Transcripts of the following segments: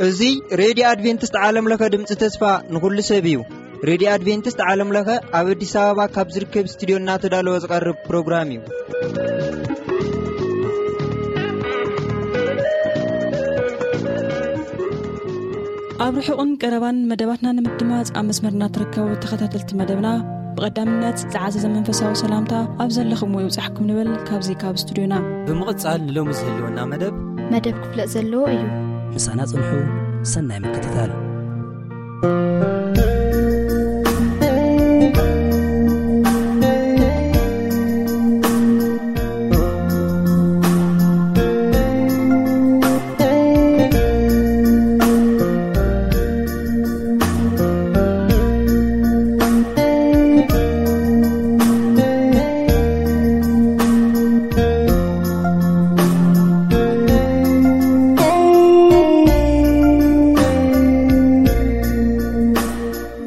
እዚ ሬድዮ ኣድቬንቲስት ዓለም ለኸ ድምፂ ተስፋ ንኹሉ ሰብ እዩ። ሬድዮ ኣድቬንቲስት ዓለም ለኸ ኣብ ኣዲስ ኣበባ ካብ ዝርከብ ስቱዲዮ እናተዳለወ ዝቐርብ ፕሮግራም እዩ። ኣብ ርሑቕን ቀረባን መደባትና ንምድማፅ ኣብ መስመርና ትርከቡ ተኸታተልቲ መደብና፣ ብቐዳምነት ዝዓዘዘ መንፈሳዊ ሰላምታ ኣብ ዘለኹምዎ ይብጻሕኩም ንብል ካብዚ ካብ ስቱዲዮና። ብምቕጻል ንሎሚ ዝህልወና መደብ መደብ ክፍለጥ ዘለዎ እዩ። ምሳና ጽንሑ፣ ሰናይ ምክትታል።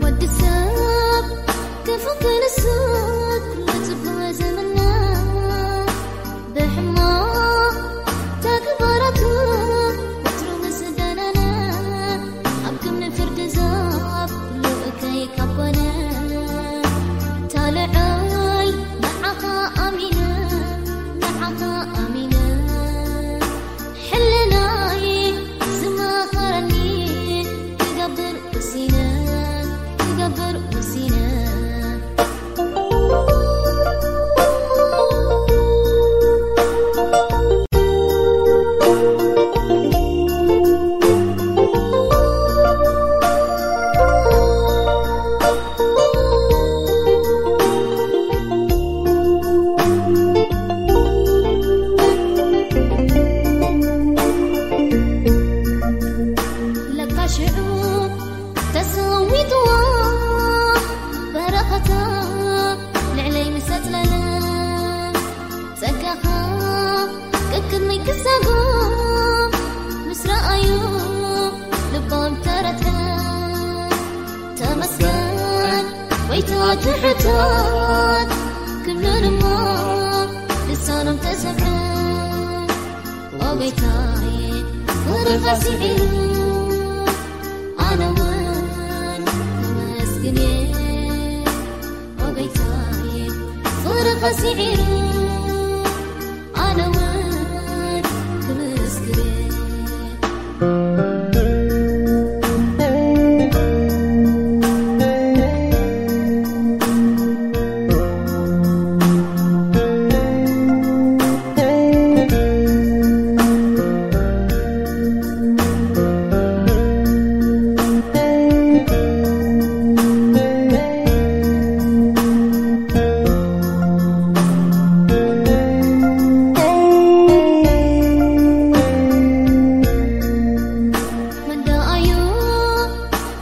ወዲ ሰብ ክፉ ክንሱ፣ ኩሉ ጽቡቕ ዘመና ብሕማቕ ተግባራቱ ወትሩ ምስ ደነነ፣ ኣብ ክምኒ ፍርዲ ዛፍ ልኡከይ ካብ ኮነ፣ ታልዓይ ንዓኻ ኣሚነ፣ ንዓኻ ኣሚነ፣ ሕልናይ ዝመኸረኒ ክገብር ወሲነ፣ ክገብር ወሲነ። ለካ ሽዑ ተሰዊጥዋ በረኸታ ልዕለይ ምስ ኣጽለለ፣ ጸጋኻ ቅድመይ ክሳጎ ምስ ረኣዩ ልቦም ተረትዐ። ተመስገን ጎይታ ትሑታት ክብሉ ድማ ልሳኖም ተሰምዐ። ኦ ጎይታዬ ፍቕርኻ ስዒሩ ኣነ እውን ከመስግን እየ። ኦ ጎይታዬ ፍቕርኻ ስዒሩ ኣነ እውን ክምስክር።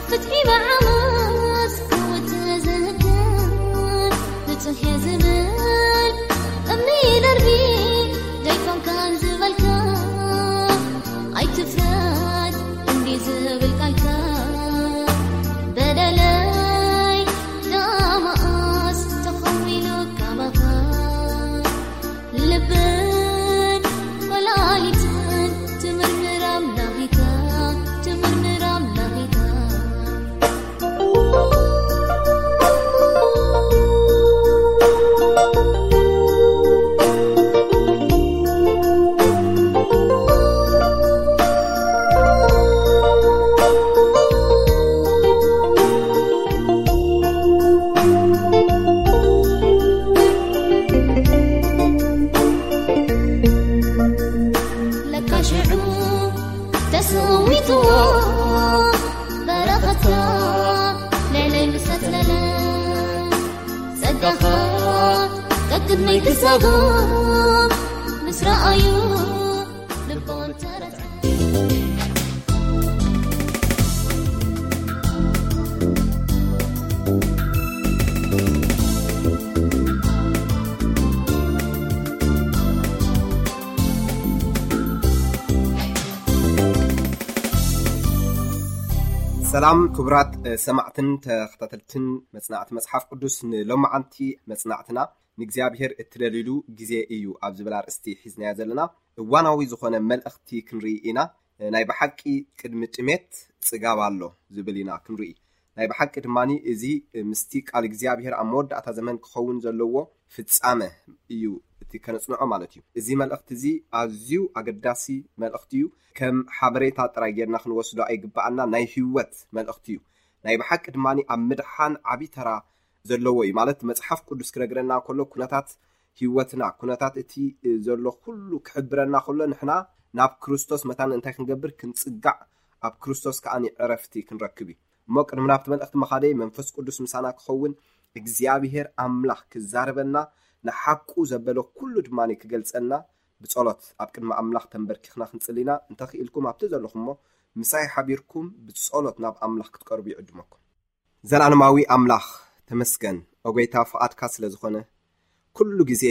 ፍትሒ ብዓመፅ ክውፅ ዝህግር ንፁህ እየ ዝብል እምኒ ይደርቢ ዘይኮንካን ዝበልካ ኣይትፍረድ እንዲ ዝብል ቃልካ በደለይ ዳማኣስ ተኸዊሉ ካባኻ ልብን ወላሊትን ትምርምር ኣምላኺካ ትምርምር ኣምላኺካ። ለካ ሽዑ ተሰዊትዎ በረኸትካ ልዕለይ ምስ ኣጽለለ፣ ጸጋኻ ቀቅድመይ ክሳጎ ምስ ረኣዩ ልቦም ተረትዐ። ሰላም ክቡራት ሰማዕትን ተኸታተልትን መጽናዕቲ መጽሓፍ ቅዱስ፣ ንሎማዓንቲ መጽናዕትና ንእግዚኣብሔር እትደልይሉ ግዜ እዩ ኣብ ዝብል ኣርእስቲ ሒዝናዮ ዘለና። እዋናዊ ዝኾነ መልእኽቲ ክንርኢ ኢና። ናይ ብሓቂ ቅድሚ ጥሜት ጽጋብ ኣሎ ዝብል ኢና ክንርኢ። ናይ ብሓቂ ድማ እዚ ምስቲ ቃል እግዚኣብሔር ኣብ መወዳእታ ዘመን ክኸውን ዘለዎ ፍጻመ እዩ እቲ ከነጽንዖ ማለት እዩ። እዚ መልእኽቲ እዚ ኣዝዩ ኣገዳሲ መልእኽቲ እዩ። ከም ሓበሬታ ጥራይ ጌርና ክንወስዶ ኣይግባኣና። ናይ ህይወት መልእኽቲ እዩ። ናይ ብሓቂ ድማ ኣብ ምድሓን ዓቢ ተራ ዘለዎ እዩ። ማለት መጽሓፍ ቅዱስ ክነግረና ከሎ ኩነታት ህይወትና፣ ኩነታት እቲ ዘሎ ኩሉ ክሕብረና ከሎ ንሕና ናብ ክርስቶስ መታን እንታይ ክንገብር? ክንጽጋዕ፣ ኣብ ክርስቶስ ከኣ ዕረፍቲ ክንረክብ እዩ። እሞ ቅድሚ ናብቲ መልእኽቲ መኻደይ መንፈስ ቅዱስ ምሳና ክኸውን እግዚኣብሔር ኣምላኽ ክዛረበና ንሓቁ ዘበለ ኩሉ ድማ ክገልጸና ብጸሎት ኣብ ቅድሚ ኣምላኽ ተንበርኪኽና ክንጽሊና እንተኽኢልኩም ኣብቲ ዘለኹሞ ምሳይ ሓቢርኩም ብጸሎት ናብ ኣምላኽ ክትቀርቡ ይዕድመኩም። ዘላለማዊ ኣምላኽ ተመስገን፣ ኦጎይታ ፍቓድካ ስለ ዝኾነ ኩሉ ግዜ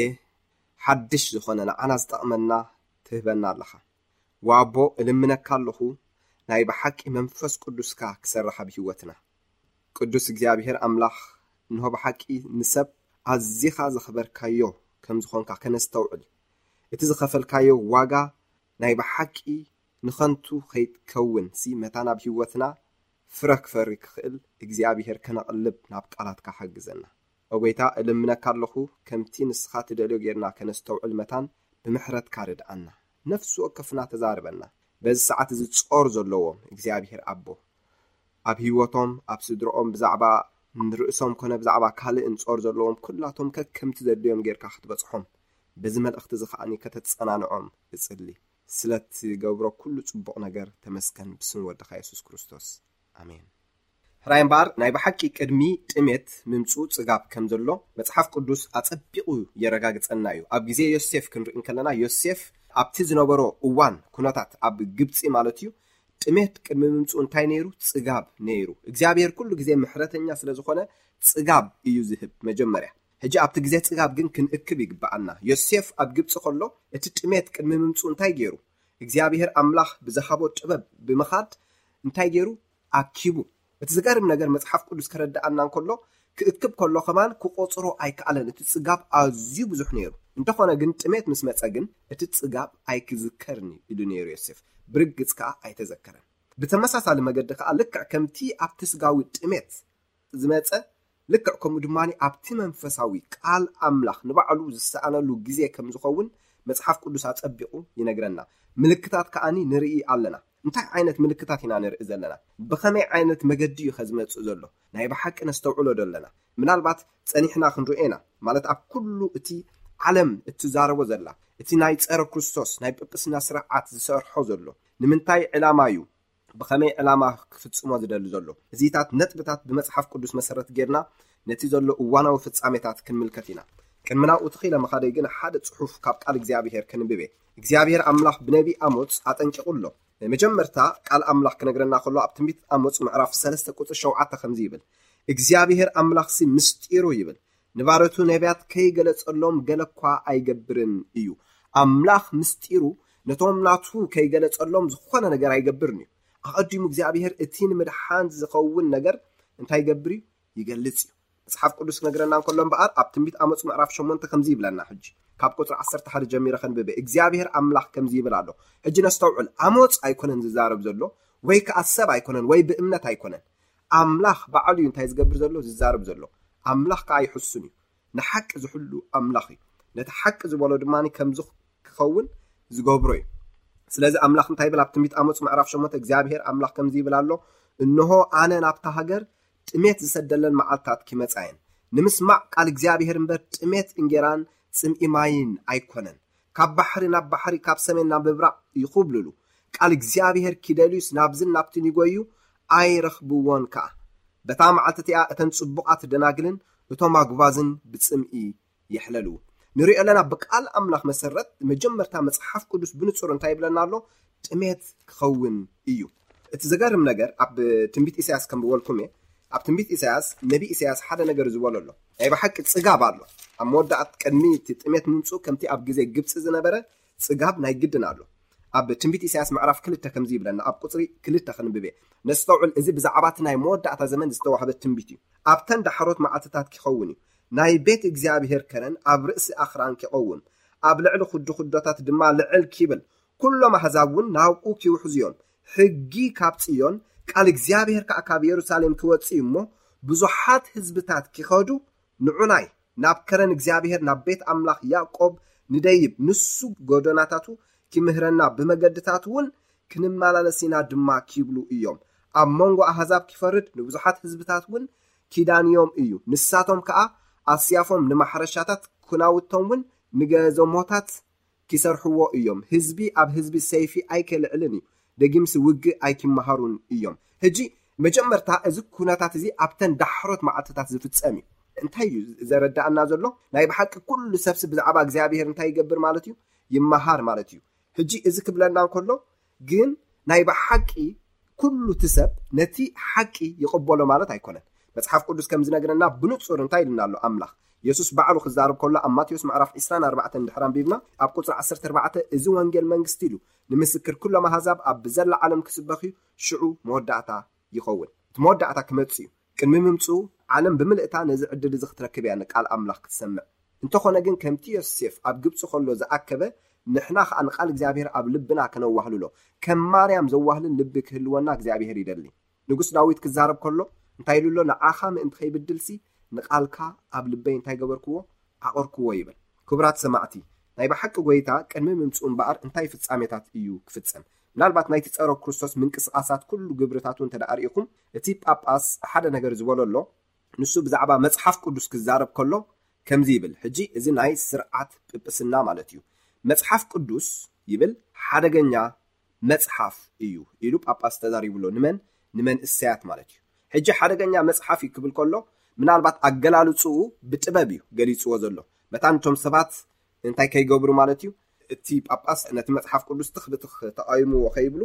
ሓድሽ ዝኾነ ንዓና ዝጠቕመና ትህበና ኣለኻ። ዋቦ እልምነካ ኣለኹ ናይ ብሓቂ መንፈስ ቅዱስካ ክሰርሕ ኣብ ህይወትና። ቅዱስ እግዚኣብሔር ኣምላኽ እንሆ ብሓቂ ንሰብ ኣዚኻ ዘኽበርካዮ ከም ዝኾንካ ከነስተውዕል፣ እቲ ዝኸፈልካዮ ዋጋ ናይ ብሓቂ ንኸንቱ ከይትከውን ሲ መታን ኣብ ህይወትና ፍረ ክፈሪ ክኽእል እግዚኣብሔር ከነቕልብ ናብ ቃላትካ ሓግዘና። ኦጎይታ እልምነካ ኣለኹ ከምቲ ንስኻ ትደልዮ ጌርና ከነስተውዕል መታን ብምሕረትካ ርድኣና። ነፍሲ ወከፍና ተዛርበና። በዚ ሰዓት እዚ ጾር ዘለዎም እግዚኣብሔር ኣቦ ኣብ ህይወቶም ኣብ ስድርኦም ብዛዕባ ንርእሶም ኮነ ብዛዕባ ካልእ እንጾር ዘለዎም ኩላቶም ከከምቲ ዘድልዮም ጌርካ ክትበጽሖም በዚ መልእኽቲ እዚ ከዓኒ ከተጸናንዖም እጽሊ። ስለ ትገብሮ ኩሉ ጽቡቕ ነገር ተመስገን ብስም ወድኻ የሱስ ክርስቶስ። ኣሜን። ሕራይ እምበኣር ናይ ብሓቂ ቅድሚ ጥሜት ምምጽኡ ጽጋብ ከም ዘሎ መጽሓፍ ቅዱስ ኣጸቢቑ የረጋግጸና እዩ። ኣብ ግዜ ዮሴፍ ክንርኢ እንከለና ዮሴፍ ኣብቲ ዝነበሮ እዋን ኩነታት ኣብ ግብጺ ማለት እዩ ጥሜት ቅድሚ ምምጽኡ እንታይ ነይሩ? ጽጋብ ነይሩ። እግዚኣብሔር ኩሉ ግዜ ምሕረተኛ ስለ ዝኾነ ጽጋብ እዩ ዝህብ መጀመርያ። ሕጂ ኣብቲ ግዜ ጽጋብ ግን ክንእክብ ይግብኣና። ዮሴፍ ኣብ ግብጺ ከሎ እቲ ጥሜት ቅድሚ ምምጽኡ እንታይ ገይሩ? እግዚኣብሔር ኣምላኽ ብዝሃቦ ጥበብ ብምኻድ እንታይ ገይሩ? ኣኪቡ። እቲ ዝገርም ነገር መጽሓፍ ቅዱስ ከረድኣና እንከሎ ክእክብ ከሎ ከማን ክቆጽሮ ኣይከኣለን። እቲ ጽጋብ ኣዝዩ ብዙሕ ነይሩ። እንተኾነ ግን ጥሜት ምስ መጸ ግን እቲ ጽጋብ ኣይክዝከርን ኢሉ ነይሩ ዮሴፍ። ብርግጽ ከኣ ኣይተዘከረን። ብተመሳሳሊ መገዲ ከኣ ልክዕ ከምቲ ኣብቲ ስጋዊ ጥሜት ዝመጸ ልክዕ ከምኡ ድማ ኣብቲ መንፈሳዊ ቃል ኣምላኽ ንባዕሉ ዝሰኣነሉ ግዜ ከም ዝኸውን መጽሓፍ ቅዱስ ኣጸቢቑ ይነግረና። ምልክታት ከኣኒ ንርኢ ኣለና። እንታይ ዓይነት ምልክታት ኢና ንርኢ ዘለና? ብኸመይ ዓይነት መገዲ እዩ ከዝመጽእ ዘሎ? ናይ ብሓቂ ነስተውዕሎ ዶ ኣለና? ምናልባት ጸኒሕና ክንርእዮ ኢና። ማለት ኣብ ኩሉ እቲ ዓለም እትዛረቦ ዘላ፣ እቲ ናይ ጸረ ክርስቶስ ናይ ጵጵስና ስርዓት ዝሰርሖ ዘሎ ንምንታይ ዕላማ እዩ? ብኸመይ ዕላማ ክፍጽሞ ዝደሊ ዘሎ? እዚታት ነጥብታት ብመጽሓፍ ቅዱስ መሰረት ጌርና ነቲ ዘሎ እዋናዊ ፍጻሜታት ክንምልከት ኢና። ቅድሚ ናብኡ ትኺለ ምኻደይ ግን ሓደ ጽሑፍ ካብ ቃል እግዚኣብሔር ከንብቤ። እግዚኣብሔር ኣምላኽ ብነቢ ኣሞጽ ኣጠንቂቑ ኣሎ። መጀመርታ ቃል ኣምላኽ ክነግረና ከሎ ኣብ ትንቢት ኣሞጽ ምዕራፍ ሰለስተ ቁጽሪ ሸውዓተ ከምዚ ይብል፣ እግዚኣብሔር ኣምላኽሲ ምስጢሩ ይብል፣ ንባረቱ ነቢያት ከይገለጸሎም ገለ እኳ ኣይገብርን እዩ። ኣምላኽ ምስጢሩ ነቶም ናቱ ከይገለጸሎም ዝኾነ ነገር ኣይገብርን እዩ። ኣቐዲሙ እግዚኣብሔር እቲ ንምድሓን ዝኸውን ነገር እንታይ ይገብር እዩ? ይገልጽ እዩ። መጽሓፍ ቅዱስ ክነግረና እንከሎ እምበኣር ኣብ ትንቢት ኣሞጽ ምዕራፍ ሸሞንተ ከምዚ ይብለና። ሕጂ ካብ ቁጽሪ ዓሰርተ ሓደ ጀሚረ ከንብበ። እግዚኣብሔር ኣምላኽ ከምዚ ይብል ኣሎ። ሕጂ ነስተውዕል። ኣሞጽ ኣይኮነን ዝዛረብ ዘሎ፣ ወይ ከኣ ሰብ ኣይኮነን፣ ወይ ብእምነት ኣይኮነን። ኣምላኽ ባዕሉ እዩ እንታይ ዝገብር ዘሎ? ዝዛረብ ዘሎ። ኣምላኽ ከኣ ይሕሱን እዩ። ንሓቂ ዝሕሉ ኣምላኽ እዩ። ነቲ ሓቂ ዝበሎ ድማ ከምዚ ክኸውን ዝገብሮ እዩ። ስለዚ ኣምላኽ እንታይ ይብል? ኣብ ትንቢት ኣሞጽ ምዕራፍ ሸሞንተ እግዚኣብሔር ኣምላኽ ከምዚ ይብል ኣሎ፣ እንሆ ኣነ ናብታ ሃገር ጥሜት ዝሰደለን መዓልታት ክመጻ እየን። ንምስማዕ ቃል እግዚኣብሔር እምበር ጥሜት እንጌራን ጽምኢ ማይን ኣይኮነን። ካብ ባሕሪ ናብ ባሕሪ፣ ካብ ሰሜን ናብ ምብራቕ ይኹብልሉ። ቃል እግዚኣብሔር ኪደልዩስ ናብዝን ናብትን ይጎዩ፣ ኣይረኽብዎን ከኣ። በታ መዓልቲ እቲኣ እተን ጽቡቓት ደናግልን እቶም ኣጉባዝን ብጽምኢ የሕለሉ። ንሪኦ ኣለና ብቃል ኣምላኽ መሰረት መጀመርታ መጽሓፍ ቅዱስ ብንጹር እንታይ ይብለና ኣሎ? ጥሜት ክኸውን እዩ። እቲ ዘገርም ነገር ኣብ ትንቢት ኢሳያስ ከም ዝበልኩም እየ። ኣብ ትንቢት ኢሳያስ ነቢ ኢሳያስ ሓደ ነገር ዝበሎ ኣሎ። ናይ ብሓቂ ጽጋብ ኣሎ። ኣብ መወዳእት ቅድሚ እቲ ጥሜት ምምጽኡ ከምቲ ኣብ ግዜ ግብጺ ዝነበረ ጽጋብ ናይ ግድን ኣሎ። ኣብ ትንቢት ኢሳያስ ምዕራፍ ክልተ ከምዚ ይብለና። ኣብ ቁፅሪ ክልተ ክንብብ እየ። ነስተውዕል፣ እዚ ብዛዕባ እቲ ናይ መወዳእታ ዘመን ዝተዋህበ ትንቢት እዩ። ኣብተን ዳሕሮት መዓልትታት ክኸውን እዩ፣ ናይ ቤት እግዚኣብሔር ከረን ኣብ ርእሲ ኣኽራን ክቐውም፣ ኣብ ልዕሊ ኩድኩዶታት ድማ ልዕል ኪብል፣ ኩሎም ኣህዛብ እውን ናብኡ ኪውሕዙ እዮም። ሕጊ ካብ ጽዮን፣ ቃል እግዚኣብሔር ከኣ ካብ የሩሳሌም ክወጽእ እዩ እሞ፣ ብዙሓት ህዝብታት ኪኸዱ፣ ንዑናይ ናብ ከረን እግዚኣብሔር፣ ናብ ቤት ኣምላኽ ያዕቆብ ንደይብ፣ ንሱ ጎደናታቱ ኪምህረና፣ ብመገድታቱ እውን ክንመላለስ ኢና ድማ ኪብሉ እዮም። ኣብ መንጎ ኣህዛብ ኪፈርድ፣ ንብዙሓት ህዝብታት እውን ኪዳንዮም እዩ። ንሳቶም ከኣ ኣስያፎም ንማሕረሻታት፣ ኩናውቶም እውን ንገዘሞታት ኪሰርሕዎ እዮም። ህዝቢ ኣብ ህዝቢ ሰይፊ ኣይከልዕልን እዩ፣ ደጊምሲ ውግእ ኣይኪመሃሩን እዮም። ሕጂ መጀመርታ እዚ ኩነታት እዚ ኣብተን ዳሕሮት መዓልትታት ዝፍጸም እዩ። እንታይ እዩ ዘረዳእና ዘሎ? ናይ ብሓቂ ኩሉ ሰብሲ ብዛዕባ እግዚኣብሔር እንታይ ይገብር ማለት እዩ? ይመሃር ማለት እዩ። ሕጂ እዚ ክብለና እንከሎ ግን ናይ ብሓቂ ኩሉ እቲ ሰብ ነቲ ሓቂ ይቕበሎ ማለት ኣይኮነን። መጽሓፍ ቅዱስ ከም ዝነግረና ብንጹር እንታይ ኢልና ኣሎ ኣምላኽ? የሱስ ባዕሉ ክዛረብ ከሎ ኣብ ማቴዎስ ምዕራፍ ዕስራን ኣርባዕተን ድሕር ኣንቢብና ኣብ ቁጽሪ ዓሰርተ ኣርባዕተ፣ "እዚ ወንጌል መንግስቲ ኢሉ ንምስክር ኩሎም ኣህዛብ ኣብ ብዘላ ዓለም ክስበኽ እዩ፣ ሽዑ መወዳእታ ይኸውን." እቲ መወዳእታ ክመጽእ እዩ። ቅድሚ ምምጽኡ ዓለም ብምልእታ ነዚ ዕድል እዚ ክትረክብ እያ ንቃል ኣምላኽ ክትሰምዕ። እንተኾነ ግን ከምቲ ዮሴፍ ኣብ ግብጺ ከሎ ዝኣከበ ንሕና ኸኣ ንቃል እግዚኣብሔር ኣብ ልብና ከነዋህልሎ፣ ከም ማርያም ዘዋህልል ልቢ ክህልወና እግዚኣብሔር ይደሊ። ንጉስ ዳዊት ክዛረብ ከሎ እንታይ ኢሉ ኣሎ? "ንዓኻ ምእንቲ ከይብድልሲ ንቃልካ ኣብ ልበይ እንታይ ገበርክዎ? ዓቐርክዎ" ይብል። ክቡራት ሰማዕቲ፣ ናይ ብሓቂ ጎይታ ቅድሚ ምምጽኡ እምበኣር እንታይ ፍጻሜታት እዩ ክፍጸም? ምናልባት ናይቲ ጸረ ክርስቶስ ምንቅስቓሳት ኩሉ ግብርታቱ እንተ ደኣ ርኢኹም፣ እቲ ጳጳስ ሓደ ነገር ዝበሎ ኣሎ። ንሱ ብዛዕባ መጽሓፍ ቅዱስ ክዛረብ ከሎ ከምዚ ይብል። ሕጂ እዚ ናይ ስርዓት ጵጵስና ማለት እዩ። "መጽሓፍ ቅዱስ" ይብል፣ "ሓደገኛ መጽሓፍ እዩ" ኢሉ ጳጳስ ተዛሪቡ ኣሎ። ንመን? ንመንእሰያት ማለት እዩ። ሕጂ ሓደገኛ መጽሓፍ እዩ ክብል ከሎ ምናልባት ኣገላልጽኡ ብጥበብ እዩ ገሊጽዎ ዘሎ። መታን እቶም ሰባት እንታይ ከይገብሩ ማለት እዩ? እቲ ጳጳስ ነቲ መጽሓፍ ቅዱስ ትኽ ብትኽ ተቓይምዎ ከይብሉ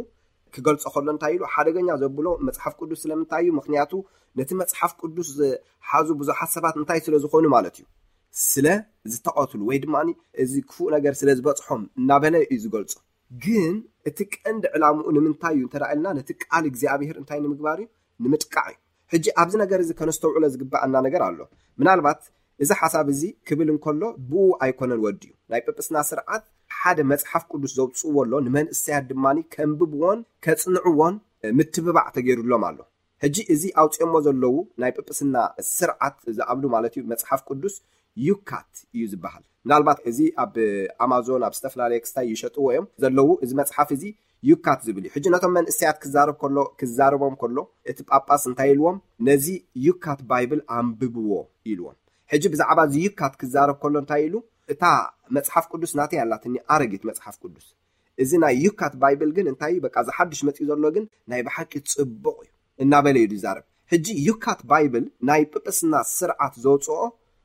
ክገልጾ ከሎ እንታይ ኢሉ? ሓደገኛ ዘብሎ መጽሓፍ ቅዱስ ስለምንታይ እዩ? ምኽንያቱ ነቲ መጽሓፍ ቅዱስ ዝሓዙ ብዙሓት ሰባት እንታይ ስለ ዝኾኑ ማለት እዩ? ስለ ዝተቐትሉ ወይ ድማ እዚ ክፉእ ነገር ስለ ዝበጽሖም እናበለ እዩ ዝገልጾ። ግን እቲ ቀንዲ ዕላምኡ ንምንታይ እዩ እንተ ደኣ ኢልና፣ ነቲ ቃል እግዚኣብሔር እንታይ ንምግባር እዩ? ንምጥቃዕ እዩ። ሕጂ ኣብዚ ነገር እዚ ከነስተውዕሎ ዝግብኣና ነገር ኣሎ። ምናልባት እዚ ሓሳብ እዚ ክብል እንከሎ ብኡ ኣይኮነን ወዲኡ። ናይ ጵጵስና ስርዓት ሓደ መጽሓፍ ቅዱስ ዘውጽእዎ ኣሎ፣ ንመንእሰያት ድማ ከንብብዎን ከጽንዕዎን ምትብባዕ ተገይሩሎም ኣሎ። ሕጂ እዚ ኣውፅኦሞ ዘለዉ ናይ ጵጵስና ስርዓት ዝኣብሉ ማለት እዩ፣ መጽሓፍ ቅዱስ ዩካት እዩ ዝበሃል። ምናልባት እዚ ኣብ ኣማዞን ኣብ ዝተፈላለየ ክስታይ ይሸጥዎ እዮም ዘለዉ። እዚ መጽሓፍ እዚ ዩካት ዝብል እዩ። ሕጂ ነቶም መንእሰያት ክዛረብ ከሎ፣ ክዛረቦም ከሎ እቲ ጳጳስ እንታይ ኢልዎም? "ነዚ ዩካት ባይብል ኣንብብዎ" ኢልዎም። ሕጂ ብዛዕባ እዚ ዩካት ክዛረብ ከሎ እንታይ ኢሉ? "እታ መጽሓፍ ቅዱስ ናተይ ኣላትኒ፣ ኣረጊት መጽሓፍ ቅዱስ። እዚ ናይ ዩካት ባይብል ግን እንታይ እዩ? በቃ፣ እዚ ሓድሽ መጺኡ ዘሎ ግን ናይ ብሓቂ ጽቡቕ እዩ" እናበለ እዩ ዝዛረብ። ሕጂ ዩካት ባይብል ናይ ጵጵስና ስርዓት ዘውፅኦ፣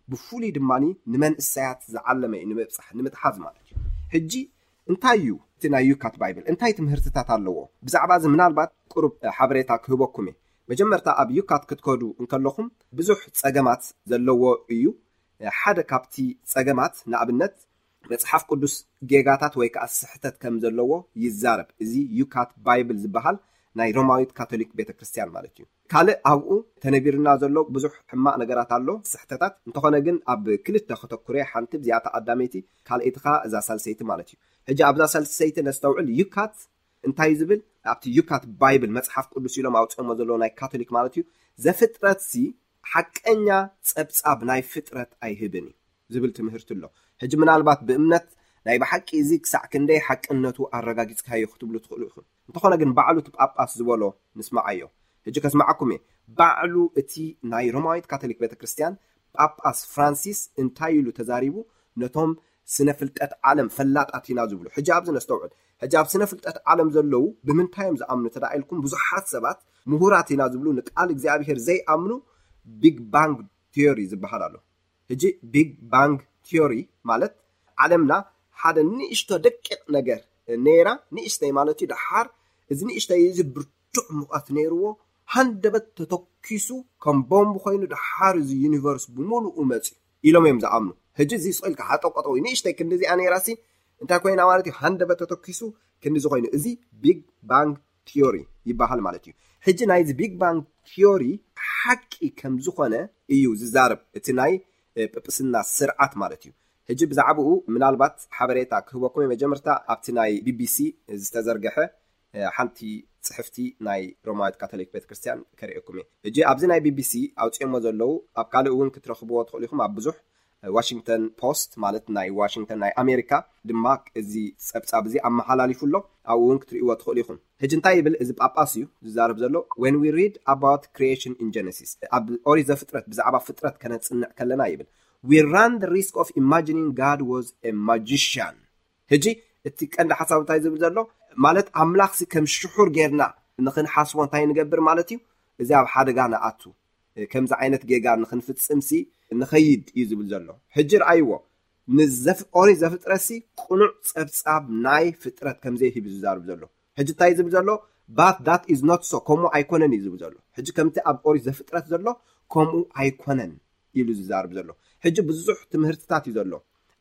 ብፍሉይ ድማ ንመንእሰያት ዝዓለመ እዩ፣ ንምብጻሕ፣ ንምትሓዝ ማለት እዩ። ሕጂ እንታይ እዩ እቲ ናይ ዩካት ባይብል? እንታይ ትምህርትታት ኣለዎ? ብዛዕባ እዚ ምናልባት ቁሩብ ሓበሬታ ክህበኩም እየ። መጀመርታ ኣብ ዩካት ክትከዱ እንከለኹም ብዙሕ ጸገማት ዘለዎ እዩ። ሓደ ካብቲ ጸገማት ንኣብነት መጽሓፍ ቅዱስ ጌጋታት ወይ ከኣ ስሕተት ከም ዘለዎ ይዛረብ። እዚ ዩካት ባይብል ዝበሃል ናይ ሮማዊት ካቶሊክ ቤተ ክርስቲያን ማለት እዩ። ካልእ ኣብኡ ተነቢርና ዘሎ ብዙሕ ሕማቕ ነገራት ኣሎ፣ ስሕተታት። እንተኾነ ግን ኣብ ክልተ ከተኩረ፣ ሓንቲ ብዚኣታ ቀዳመይቲ፣ ካልኣይቲ ከኣ እዛ ሳልሰይቲ ማለት እዩ። ሕጂ ኣብዛ ሳልሰይቲ ነስተውዕል። ዩካት እንታይ ዝብል? ኣብቲ ዩካት ባይብል መጽሓፍ ቅዱስ ኢሎም ኣውፅኦሞ ዘለዎ ናይ ካቶሊክ ማለት እዩ። "ዘፍጥረትሲ ሓቀኛ ጸብጻብ ናይ ፍጥረት ኣይህብን እዩ" ዝብል ትምህርቲ ኣሎ። ሕጂ ምናልባት ብእምነት ናይ ብሓቂ እዚ ክሳዕ ክንደይ ሓቅነቱ ኣረጋጊጽካዮ ክትብሉ ትኽእሉ ኢኹም። እንተኾነ ግን ባዕሉ እቲ ጳጳስ ዝበሎ ንስማዓዮ። ሕጂ ከስማዓኩም እየ። ባዕሉ እቲ ናይ ሮማዊት ካቶሊክ ቤተክርስትያን ጳጳስ ፍራንሲስ እንታይ ኢሉ ተዛሪቡ ነቶም ስነ ፍልጠት ዓለም ፈላጣት ኢና ዝብሉ? ሕጂ ኣብዚ ነስተውዕል። ሕጂ ኣብ ስነ ፍልጠት ዓለም ዘለዉ ብምንታይ እዮም ዝኣምኑ ተዳ ኢልኩም፣ ብዙሓት ሰባት ምሁራት ኢና ዝብሉ ንቃል እግዚኣብሔር ዘይኣምኑ ቢግ ባንግ ቲዮሪ ዝበሃል ኣሎ። ሕጂ ቢግ ባንግ ቲዮሪ ማለት ዓለምና ሓደ ንእሽቶ ደቂቕ ነገር ነይራ፣ ንእሽተይ ማለት እዩ። ደሓር እዚ ንእሽተይ እዚ ብርቱዕ ሙቐት ነይርዎ፣ ሃንደበት ተተኪሱ ከም ቦምብ ኮይኑ ደሓር እዚ ዩኒቨርስ ብምሉኡ መፅዩ ኢሎም እዮም ዝኣምኑ። ሕጂ እዚ ስቕ ኢልካ ሃጠቆጠው ንእሽተይ ክንዲ እዚኣ ነይራሲ እንታይ ኮይና ማለት እዩ? ሃንደበት ተተኪሱ ክንዲ ዝኾይኑ፣ እዚ ቢግ ባንግ ቲዮሪ ይበሃል ማለት እዩ። ሕጂ ናይዚ ቢግ ባንግ ቲዮሪ ሓቂ ከም ዝኾነ እዩ ዝዛረብ እቲ ናይ ጵጵስና ስርዓት ማለት እዩ። ሕጂ ብዛዕባኡ ምናልባት ሓበሬታ ክህበኩም፣ መጀመርታ ኣብቲ ናይ ቢቢሲ ዝተዘርገሐ ሓንቲ ጽሕፍቲ ናይ ሮማዊት ካቶሊክ ቤተክርስትያን ከርእየኩም እየ። ሕጂ ኣብዚ ናይ ቢቢሲ ኣውፅኦሞ ዘለዉ፣ ኣብ ካልእ እውን ክትረኽብዎ ትኽእሉ ኢኹም። ኣብ ብዙሕ ዋሽንግተን ፖስት ማለት ናይ ዋሽንግተን ናይ ኣሜሪካ ድማ እዚ ጸብጻብ እዚ ኣመሓላሊፉ ኣሎ። ኣብኡ እውን ክትርእይዎ ትኽእሉ ኢኹም። ሕጂ እንታይ ይብል እዚ ጳጳስ እዩ ዝዛረብ ዘሎ? When we read about creation in Genesis፣ ኣብ ኦሪት ዘፍጥረት ብዛዕባ ፍጥረት ከነጽንዕ ከለና ይብል፣ we run the risk of imagining God was a magician። ሕጂ እቲ ቀንዲ ሓሳብ እንታይ ዝብል ዘሎ ማለት፣ ኣምላኽሲ ከም ሽሑር ጌርና ንኽንሓስቦ እንታይ ንገብር ማለት እዩ? እዚ ኣብ ሓደጋ ንኣቱ፣ ከምዚ ዓይነት ጌጋ ንኽንፍጽምሲ ንኸይድ እዩ ዝብል ዘሎ። ሕጂ ረኣይዎ፣ ንዘፍ ኦሪት ዘፍጥረትሲ ቅኑዕ ጸብጻብ ናይ ፍጥረት ከም ዘይህብ እዩ ዝዛርብ ዘሎ። ሕጂ እንታይ ዝብል ዘሎ? But that is not so፣ ከምኡ ኣይኮነን እዩ ዝብል ዘሎ። ሕጂ ከምቲ ኣብ ኦሪት ዘፍጥረት ዘሎ ከምኡ ኣይኮነን ኢሉ ዝዛርብ ዘሎ። ሕጂ ብዙሕ ትምህርትታት እዩ ዘሎ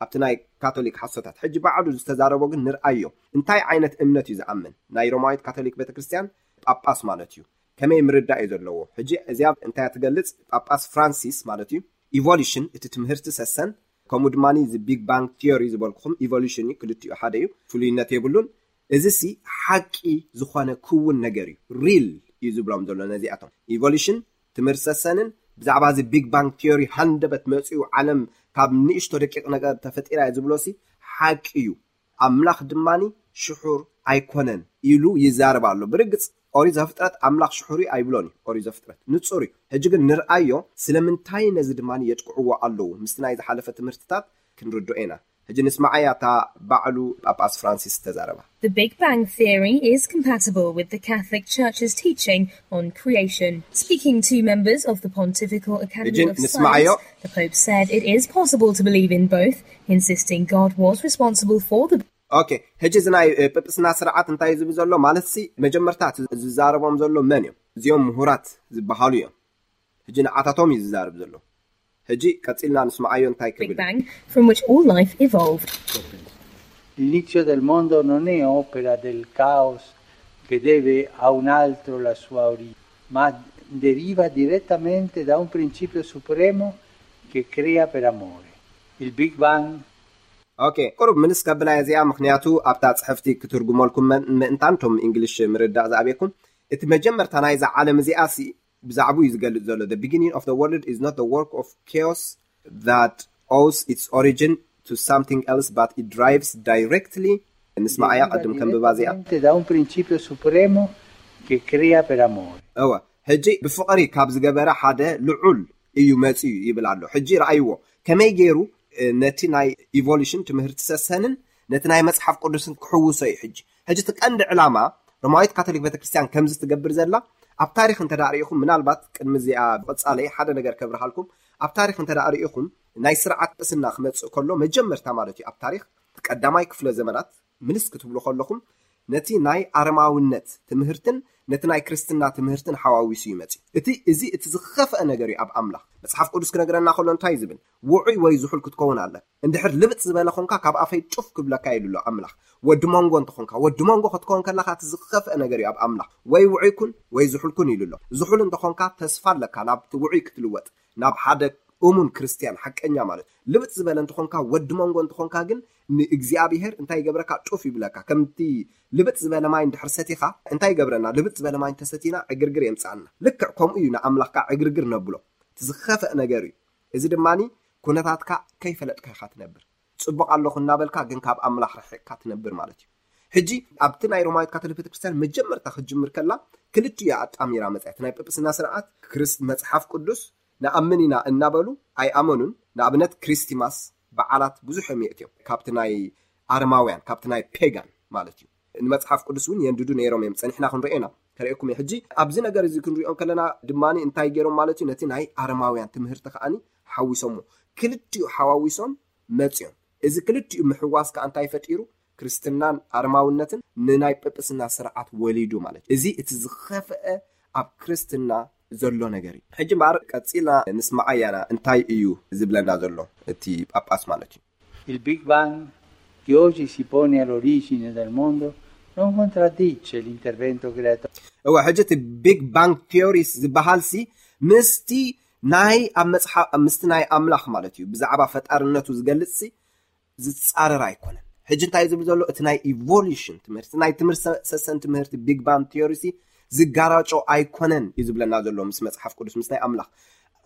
ኣብቲ ናይ ካቶሊክ ሓሶታት። ሕጂ ባዕሉ ዝተዛረቦ ግን ንርኣዮ። እንታይ ዓይነት እምነት እዩ ዝኣምን? ናይ ሮማዊት ካቶሊክ ቤተክርስትያን ጳጳስ ማለት እዩ። ከመይ ምርዳእ እዩ ዘለዎ? ሕጂ እዚኣ እንታይ እያ ትገልጽ? ጳጳስ ፍራንሲስ ማለት እዩ፣ ኢቮሉሽን፣ እቲ ትምህርቲ ሰሰን፣ ከምኡ ድማ እዚ ቢግ ባንግ ቲዮሪ ዝበልኩኹም ኢቮሉሽን እዩ፣ ክልቲኡ ሓደ እዩ፣ ፍሉይነት የብሉን። እዚ ሲ ሓቂ ዝኾነ ክውን ነገር እዩ፣ ሪል እዩ ዝብሎም ዘሎ ነዚኣቶም። ኢቮሉሽን፣ ትምህርቲ ሰሰንን ብዛዕባ እዚ ቢግ ባንግ ቲዮሪ፣ ሃንደበት መጺኡ ዓለም ካብ ንእሽቶ ደቂቕ ነገር ተፈጢራ እያ ዝብሎ ሲ ሓቂ እዩ። ኣምላኽ ድማ ሽሑር ኣይኮነን ኢሉ ይዛረብ ኣሎ። ብርግጽ ኦሪት ዘፍጥረት ኣምላኽ ሽሑር እዩ ኣይብሎን እዩ። ኦሪት ዘፍጥረት ንጹር እዩ። ሕጂ ግን ንርኣዮ፣ ስለምንታይ ነዚ ድማ የጥቅዕዎ ኣለዉ? ምስቲ ናይ ዝሓለፈ ትምህርትታት ክንርድኦ ኢና። ሕጂ ንስማዓያ እታ ባዕሉ ጳጳስ ፍራንሲስ ዝተዛረባ። The Big Bang Theory is compatible with the Catholic Church's teaching on creation. Speaking to members of the Pontifical Academy Begin, of Miss Mayo. Science, the Pope said it is possible to believe in both, insisting God was responsible for the ኦኬ፣ ሕጂ እዚ ናይ እ፣ ጵጵስና ስርዓት እንታይ ዝብል ዘሎ ማለት ሲ፣ መጀመርታ እቲ ዝዛረቦም ዘሎ መን እዮም? እዚኦም ምሁራት ዝበሃሉ እዮም። ሕጂ ንዓታቶም እዩ ዝዛረብ ዘሎ። ሕጂ ቀጺልና ንስማዓዮ እንታይ Big ክብል። Bang from which all life evolved. L'inizio del mondo non è opera del caos che deve a un altro la sua origine, ma deriva direttamente da un principio supremo che crea per amore. Il Big Bang ኦኬ፣ ቁሩብ ምልስ ከብላ እዚኣ፣ ምኽንያቱ ኣብታ ጽሕፍቲ ክትርጉመልኩም መን- ምእንታን ቶም እንግሊሽ ምርዳእ ዝኣበየኩም። እቲ መጀመርታ ናይዛ ዓለም እዚኣ ሲ፣ ብዛዕባኡ እዩ ዝገልጽ ዘሎ። The beginning of the world is not the work of chaos that owes its origin to something else, but it derives directly። ንስማዓያ ቅድም ከንብባ እዚኣ። Direttamente da un principio supremo che crea per amore. እወ፣ ሕጂ ብፍቕሪ ካብ ዝገበረ ሓደ ልዑል እዩ መጺኡ ይብል ኣሎ። ሕጂ ረኣይዎ፣ ከመይ ገይሩ እ፣ ነቲ ናይ ኢቮሉሽን ትምህርቲ ሰሰንን ነቲ ናይ መጽሓፍ ቅዱስን ክሕውሶ እዩ። ሕጂ ሕጂ እቲ ቀንዲ ዕላማ ሮማዊት ካቶሊክ ቤተክርስትያን ከምዚ ትገብር ዘላ፣ ኣብ ታሪኽ እንተ ደኣ ርኢኹም፣ ምናልባት ቅድሚ እዚኣ ብቐጻለይ ሓደ ነገር ከብርሃልኩም፣ ኣብ ታሪኽ እንተ ደኣ ርኢኹም፣ ናይ ስርዓት ጵስና ክመጽእ ከሎ መጀመርታ ማለት እዩ፣ ኣብ ታሪኽ ቀዳማይ ክፍለ ዘመናት ምልስ ክትብሉ ከለኹም፣ ነቲ ናይ ኣረማውነት ትምህርትን ነቲ ናይ ክርስትና ትምህርትን ሓዋዊሱ ይመጽእ። እቲ እዚ እቲ ዝኸፍአ ነገር እዩ ኣብ ኣምላኽ። መጽሓፍ ቅዱስ ክነግረና ከሎ እንታይ ዝብል? ውዑይ ወይ ዝሑል ክትከውን ኣለ። እንድሕር ልብጥ ዝበለ ኾንካ ካብ ኣፈይ ጩፍ ክብለካ ኢሉ ኣሎ ኣምላኽ። ወዲ መንጎ እንተኾንካ፣ ወዲ መንጎ ክትከውን ከለኻ እቲ ዝኸፍአ ነገር እዩ ኣብ ኣምላኽ። ወይ ውዑይ ኩን ወይ ዝሑል ኩን ኢሉ ኣሎ። ዝሑል እንተኾንካ ተስፋ ኣለካ ናብቲ ውዑይ ክትልወጥ፣ ናብ ሓደ እሙን ክርስትያን ሓቀኛ ማለት። ልብጥ ዝበለ እንተኾንካ፣ ወዲ መንጎ እንተኾንካ ግን ንእግዚኣብሔር እንታይ ይገብረካ? ጩፍ ይብለካ። ከምቲ ልብጥ ዝበለ ማይ እንድሕር ሰቲኻ እንታይ ይገብረና? ልብጥ ዝበለ ማይ እንተሰቲና ዕግርግር የምጽኣና። ልክዕ ከምኡ እዩ ንኣምላኽካ ዕግርግር ነብሎ። እቲ ዝኸፍአ ነገር እዩ። እዚ ድማ ኩነታትካ ከይፈለጥካ ኢኻ ትነብር። ጽቡቕ ኣለኹ እናበልካ ግን ካብ ኣምላኽ ርሒቕካ ትነብር ማለት እዩ። ሕጂ ኣብቲ ናይ ሮማዊት ካቶሊክ ቤተክርስትያን መጀመርታ ክትጅምር ከላ ክልቲኡ እያ ኣጣሚራ መጽያ። እቲ ናይ ጵጵስና ስርዓት ክርስት መጽሓፍ ቅዱስ ንኣምን ኢና እናበሉ ኣይኣመኑን። ንኣብነት ክሪስቲማስ በዓላት ብዙሕ እዮም የእትዮም። ካብቲ ናይ ኣረማውያን፣ ካብቲ ናይ ፔጋን ማለት እዩ። ንመጽሓፍ ቅዱስ እውን የንድዱ ነይሮም እዮም። ጸኒሕና ክንሪኦ ኢና፣ ከርእየኩም እየ። ሕጂ ኣብዚ ነገር እዚ ክንሪኦ ከለና ድማ እንታይ ገይሮም ማለት እዩ? ነቲ ናይ ኣረማውያን ትምህርቲ ከኣኒ ሓዊሶሞ። ክልቲኡ ሓዋዊሶም መጽዮም። እዚ ክልቲኡ ምሕዋስ ከኣ እንታይ ፈጢሩ? ክርስትናን ኣረማውነትን ንናይ ጵጵስና ስርዓት ወሊዱ ማለት እዩ። እዚ እቲ ዝኸፍአ ኣብ ክርስትና ዘሎ ነገር እዩ። ሕጂ እምበኣር ቀጺልና ንስማዓያና እንታይ እዩ ዝብለና ዘሎ እቲ ጳጳስ ማለት እዩ። Il Big Bang, che oggi si pone all'origine del mondo, Non contraddice l'intervento creatore. እወ፣ ሕጂ እቲ ቢግ ባንግ ቲዮሪስ ዝበሃል ሲ ምስቲ ናይ ኣብ መጽሓፍ ምስቲ ናይ ኣምላኽ ማለት እዩ ብዛዕባ ፈጣርነቱ ዝገልጽ ሲ ዝጻረር ኣይኮነን። ሕጂ እንታይ ዝብል ዘሎ? እቲ ናይ ኢቮሉሽን ትምህርቲ፣ ናይ ትምህርቲ ሰሰን ትምህርቲ ቢግ ባንግ ቲዮሪ ሲ ዝጋራጮ ኣይኮነን እዩ ዝብለና ዘሎ ምስ መጽሓፍ ቅዱስ፣ ምስ ናይ ኣምላኽ።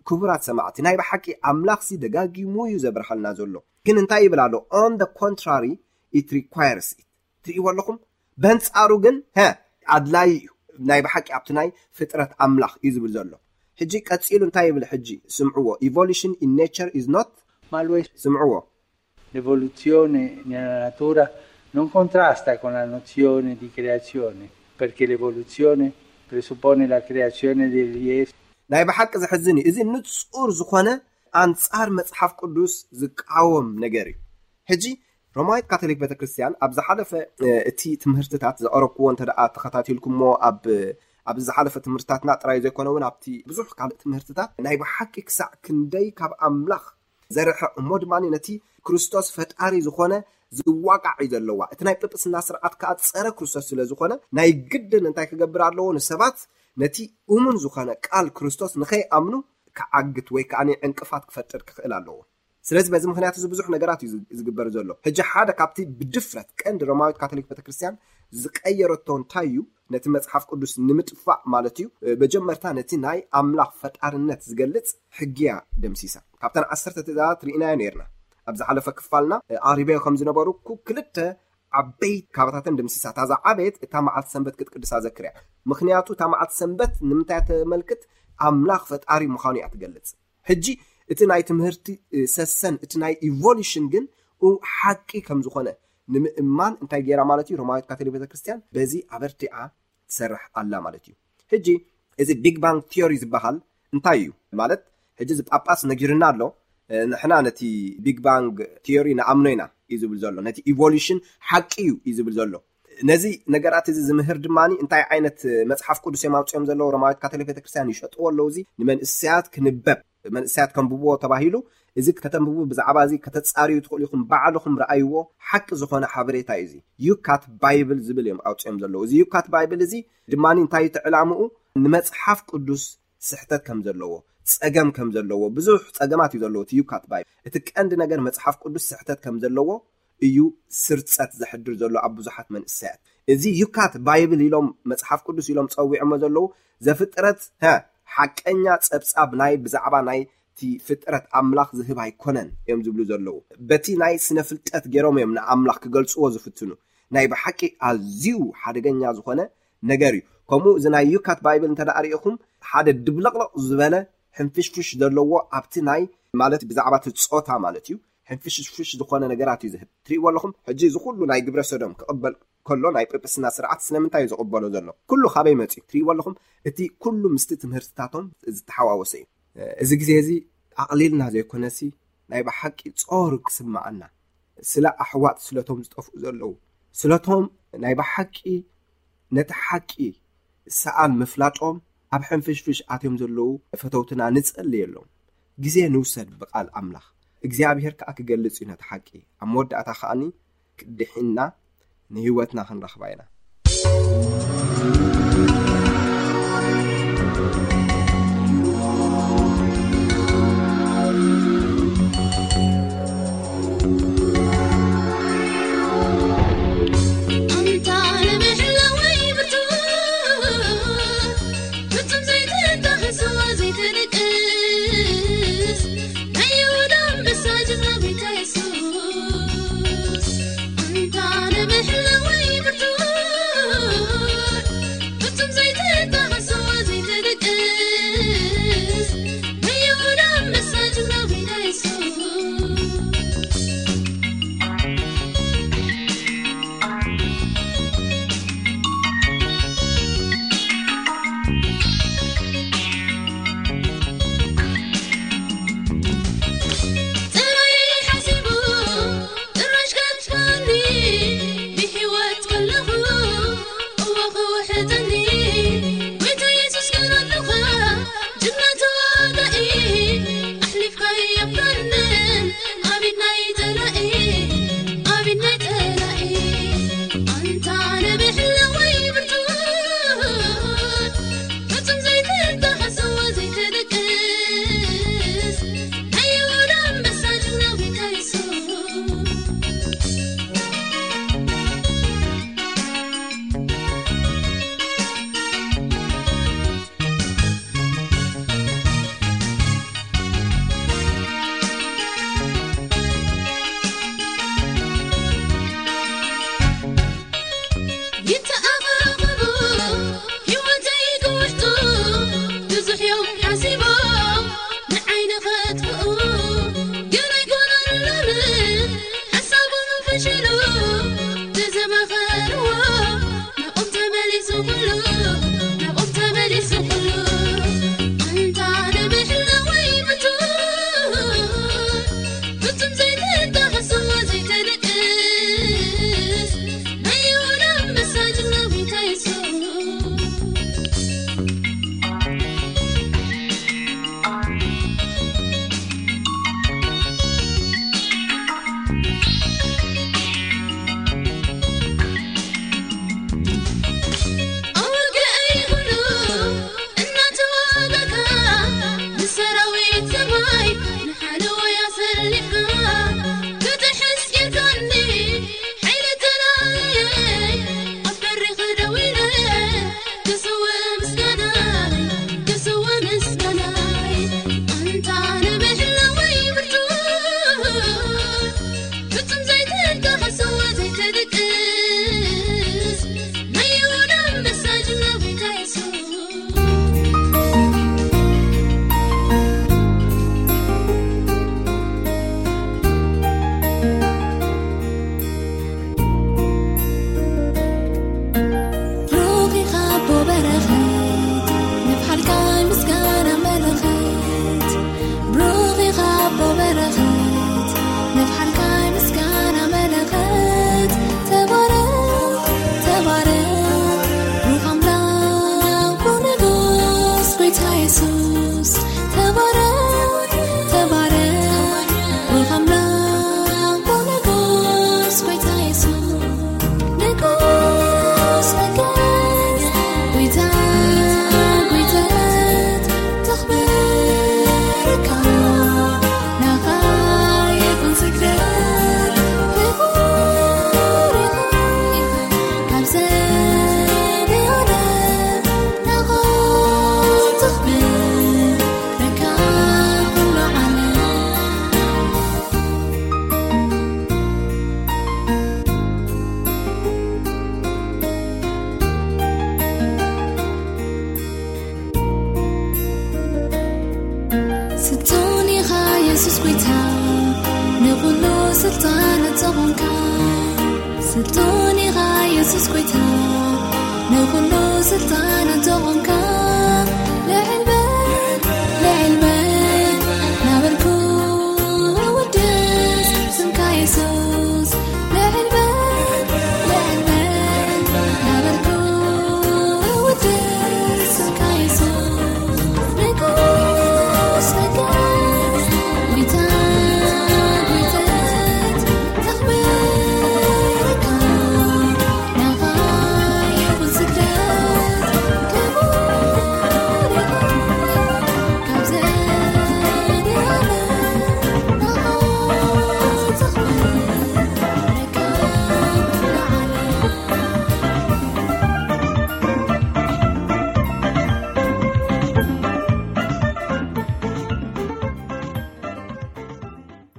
ክቡራት ሰማዕቲ፣ ናይ ብሓቂ ኣምላኽ ሲ ደጋጊሙ እዩ ዘብርሃልና ዘሎ። ግን እንታይ ይብል ኣሎ? On the contrary, it requires it። ትርእይዎ ኣለኹም? በንጻሩ ግን፣ ሀ፣ ኣድላይ እዩ። ናይ ብሓቂ ኣብቲ ናይ ፍጥረት ኣምላኽ እዩ ዝብል ዘሎ። ሕጂ ቀጺሉ እንታይ ይብል? ሕጂ ስምዕዎ። Evolution in nature is not፣ Ma lo è ስምዕዎ። L'evoluzione nella natura non contrasta con la nozione di creazione, perché l'evoluzione presuppone la creazione degli esseri. ናይ ብሓቂ ዘሕዝን እዩ። እዚ ንጹር ዝኾነ ኣንጻር መጽሓፍ ቅዱስ ዝቃወም ነገር እዩ። ሕጂ ሮማዊት ካቶሊክ ቤተክርስትያን ኣብ ዝሓለፈ እቲ ትምህርትታት ዘቐረብክዎ እንተ ደኣ ተኸታቲልኩሞ ኣብ ኣብዚ ዝሓለፈ ትምህርትታትና ጥራይ ዘይኮነ እውን ኣብቲ ብዙሕ ካልእ ትምህርትታት ናይ ብሓቂ ክሳዕ ክንደይ ካብ ኣምላኽ ዘርሕቕ እሞ ድማ ነቲ ክርስቶስ ፈጣሪ ዝኾነ ዝዋቃዕ እዩ ዘለዋ። እቲ ናይ ጵጵስና ስርዓት ከዓ ፀረ ክርስቶስ ስለ ዝኾነ ናይ ግድን እንታይ ክገብር ኣለዎ? ንሰባት ነቲ እሙን ዝኾነ ቃል ክርስቶስ ንኸይኣምኑ ክዓግት ወይ ከዓ ዕንቅፋት ክፈጥር ክኽእል ኣለዎ። ስለዚ በዚ ምክንያት እዚ ብዙሕ ነገራት እዩ ዝግበር ዘሎ። ሕጂ ሓደ ካብቲ ብድፍረት ቀንዲ ሮማዊት ካቶሊክ ቤተክርስትያን ዝቀየረቶ እንታይ እዩ? ነቲ መጽሓፍ ቅዱስ ንምጥፋእ ማለት እዩ። መጀመርታ ነቲ ናይ ኣምላኽ ፈጣርነት ዝገልጽ ሕጊያ ደምሲሳ። ካብተን ዓሰርተ ትእዛዛት ርኢናዮ ነርና ኣብ ዝሓለፈ ክፋልና። ኣሪበዮ ከም ዝነበሩ ክልተ ዓበይቲ ካባታተን ደምሲሳ። እታ ዝዓበየት እታ መዓልቲ ሰንበት ክትቅድሳ ዘክርያ። ምክንያቱ እታ መዓልቲ ሰንበት ንምንታይ ተመልክት? ኣምላኽ ፈጣሪ ምዃኑ እያ ትገልጽ። ሕጂ እቲ ናይ ትምህርቲ ሰሰን እቲ ናይ ኢቮሉሽን ግን ሓቂ ከም ዝኾነ ንምእማን እንታይ ገይራ ማለት እዩ? ሮማዊት ካቶሊክ ቤተክርስትያን በዚ ኣበርቲዓ ትሰርሕ ኣላ ማለት እዩ። ሕጂ እዚ ቢግ ባንግ ቲዮሪ ዝበሃል እንታይ እዩ ማለት? ሕጂ እዚ ጳጳስ ነጊርና ኣሎ። ንሕና ነቲ ቢግ ባንግ ቲዮሪ ንኣምኖ ኢና እዩ ዝብል ዘሎ። ነቲ ኢቮሉሽን ሓቂ እዩ እዩ ዝብል ዘሎ። ነዚ ነገራት እዚ ዝምህር ድማ እንታይ ዓይነት መጽሓፍ ቅዱስ እዮም ኣውፅኦም ዘለዉ? ሮማዊት ካቶሊክ ቤተክርስትያን ይሸጥዎ ኣለዉ። እዚ ንመንእሰያት ክንበብ መንእሰያት ከንብብዎ ተባሂሉ። እዚ ከተንብቡ ብዛዕባ እዚ ከተጻርዩ ትኽእሉ ኢኹም። ባዕልኹም ረኣይዎ። ሓቂ ዝኾነ ሓበሬታ እዩ። እዚ ዩካት ባይብል ዝብል እዮም ኣውፅኦም ዘለዉ። እዚ ዩካት ባይብል እዚ ድማ እንታይ እዩ እቲ ዕላምኡ? ንመጽሓፍ ቅዱስ ስሕተት ከም ዘለዎ፣ ጸገም ከም ዘለዎ፣ ብዙሕ ጸገማት እዩ ዘለዎ እቲ ዩካት ባይብል። እቲ ቀንዲ ነገር መጽሓፍ ቅዱስ ስሕተት ከም ዘለዎ እዩ ስርጸት ዘሕድር ዘሎ ኣብ ብዙሓት መንእሰያት። እዚ ዩካት ባይብል ኢሎም መጽሓፍ ቅዱስ ኢሎም ጸዊዖሞ ዘለዉ ዘፍጥረት ሓቀኛ ጸብጻብ ናይ ብዛዕባ ናይ እቲ ፍጥረት ኣምላኽ ዝህብ ኣይኮነን እዮም ዝብሉ ዘለዉ። በቲ ናይ ስነ ፍልጠት ገይሮም እዮም ንኣምላኽ ክገልጽዎ ዝፍትኑ። ናይ ብሓቂ ኣዝዩ ሓደገኛ ዝኾነ ነገር እዩ። ከምኡ እዚ ናይ ዩካት ባይብል እንተ ደኣ ርኢኹም ሓደ ድብለቕለቕ ዝበለ ሕንፍሽፍሽ ዘለዎ ኣብቲ ናይ ማለት ብዛዕባ እቲ ጾታ ማለት እዩ ሕንፍሽፍሽ ዝኾነ ነገራት እዩ ዝህብ። ትርእይዎ ኣለኹም። ሕጂ እዚ ኩሉ ናይ ግብረ ሰዶም ክቕበል ከሎ ናይ ጵጵስና ስርዓት ስለምንታይ እዩ ዝቕበሎ ዘሎ? ኩሉ ካበይ መፅዩ? ትርእይዎ ኣለኹም። እቲ ኩሉ ምስቲ ትምህርትታቶም ዝተሓዋወሰ እዩ። እዚ ግዜ እዚ ኣቕሊልና ዘይኮነሲ ናይ ብሓቂ ጾር ክስምዓና ስለ ኣሕዋት ስለቶም ዝጠፍኡ ዘለዉ ስለቶም ናይ ብሓቂ ነቲ ሓቂ ሰኣን ምፍላጦም ኣብ ሕንፍሽፍሽ ኣትዮም ዘለዉ ፈተውትና ንጸልየሎም። ግዜ ንውሰድ ብቓል ኣምላኽ እግዚኣብሔር ከኣ ክገልጽ እዩ ነቲ ሓቂ። ኣብ መወዳእታ ከኣኒ ድሒንና ንህይወትና ክንረኽባ ኢና። ፍልጡን ኢኻ የሱስ ጎይታ፣